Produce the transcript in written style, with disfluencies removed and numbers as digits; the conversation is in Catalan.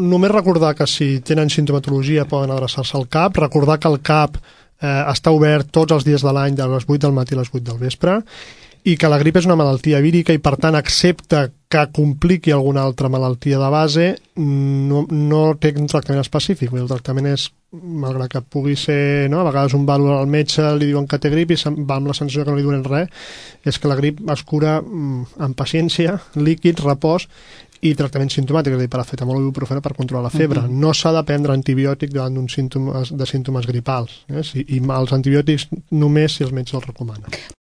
Només recordar que si tenen sintomatologia poden adreçar-se al CAP, recordar que el CAP està obert tots els dies de l'any de les 8 del matí a les 8 del vespre, i que la grip és una malaltia vírica i, per tant, excepte que compliqui alguna altra malaltia de base, no té un tractament específic. El tractament és, malgrat que pugui ser, no? A vegades un va al metge, li diuen que té grip i va amb la sensació que no li donen res, és que la grip es cura amb paciència, líquid, repòs i tractament simptomàtic, és a dir, paracetamol o ibuprofeno per controlar la febre. No s'ha de prendre antibiòtic davant de símptomes gripals, i els antibiòtics només si els metges els recomanen.